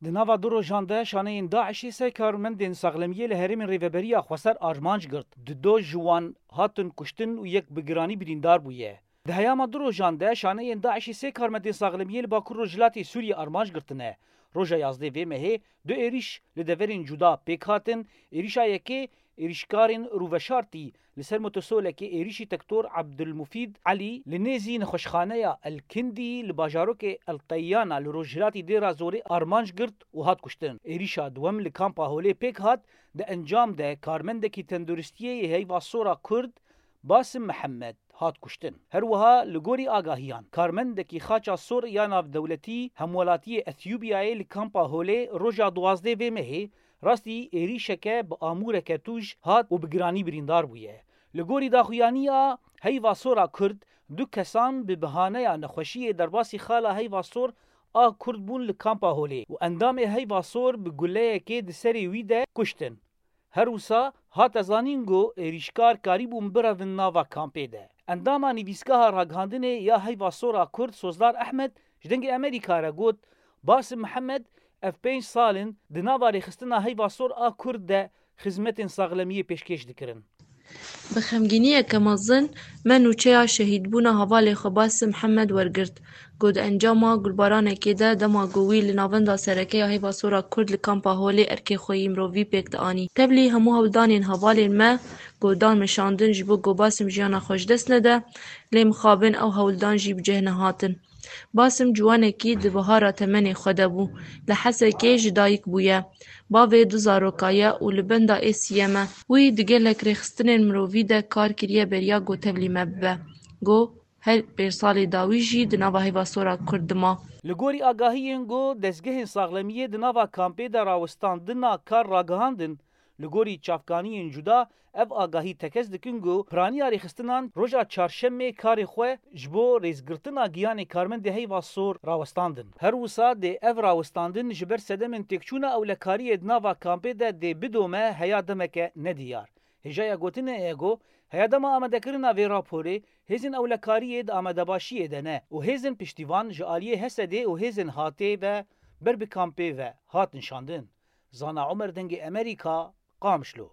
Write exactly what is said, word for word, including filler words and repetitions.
Di nava du rojan de şaneyên DAIŞê sê karmendên saxlemiyê li herêmên Rêveberiya Xweser armanc girt. Di do ji wan hatin kuştin û yek bi giranî birîndar bûye. Di heyama du rojan de şaneyên DAIŞê sê karmendên saxlemiyê li Bakur Rojhilatê Sûriyê armanc girtine. Roja yazdeh vê mehê du êrîş li deverên cuda pêk hatin. Êrîşa yekê êrîşkarên rûveşartî li ser motosolekê êrîşî tektor Abdulmufîd Elî li nêzî nexweşxaneya El Kindî li bajarokê El Teyana li rojhilatî Dêra Zorê armanc girt û hat kuştin. Êrîşa duwem li kampa Holê pêk hat, di encam de karmendekî tenduristiyê yê Heyva Sora Kurd Basim Mihemed hat kuştin. Her wiha li gorî agahiyan, karmendekî Xaça Sor ya navdewletî hemwelatiyê Etiyûbiyayê li kampa Holê roja duwazdeh vê mehê rastî êrîşeke bi amûreke tûj hat û bi giranî birîndar bûye. Li gorî daxuyaniya Heyva Sora Kurd, du kesan bi bihaneya nexweşiyê derbasî xala Heyva Sor a Kurd bûn li kampa Holê û endamê Heyva Sor bi guleyekê di serê wî de kuştin. Her wisa hate zanîn ku êrîşkar karîbûn birevin nava kampê de. Endama nivîsgeha ragihandinê ya Heyva Sora Kurd Sozdar Ehmed ji Dengê Amerîka re got, Basim Mihemed ev pênc sal in di nava rêxistina Heyva Sor a Kurd de xizmetên saxlemiyê pêşkêş dikirin. Bi xemgîniyeke mezin me nûçeya şehîdbûna hevalê xwe Basim Mihemed wergirt. Ku di encama gulbaranekê de dema ku wî li navenda sereke ya Heyva Sora Kurd li kampa Holê erkê xwe yî mirovî pêk dianî. Tevlî hemû hewldanên hevalên me ku dan meşandin ji bo ku Basim jiyana xwe ji dest nede, lê mixabin ew hewldan jî bi cih nehatin. Basim ciwanekî di bihara temenê xwe de bû. Li Hesekê ji dayik bûye. Bavê du zaroka ye û li benda ê siyem e. Wî di gelek rêxistinên mirovî de kar kiriye beriya ku tevlî me bibe. Ku her pênc salê dawî jî di nava Heyva Sora Kurd dima. Li gorî agahiyên ku dezgehên saxlemiyê di nava kampê de rawestandina kar ragihandin, li gorî çavkaniyên cuda ev agahî tekez dikin ku piraniya rêxistinan roja çarşemê karê xwe ji bo rêzgirtina giyanê karmendê Heyva Sor rawestandin. Her wisa dê ev rawestandin ji ber sedemên têkçûna ewlekariyê di nava kampê de dê bidome heya demeke nediyar. Hêjaya gotinê ye ku heya dema amadekirina vê raporê, hêzên ewlekariyê di amadebaşiyê de ne û hêzên piştîvan ji aliyê Hesedê û hêzên hatê ve ber bi kampê ve hatin şandin. Zana Omer, Dengê Amerîka, Qamişlo.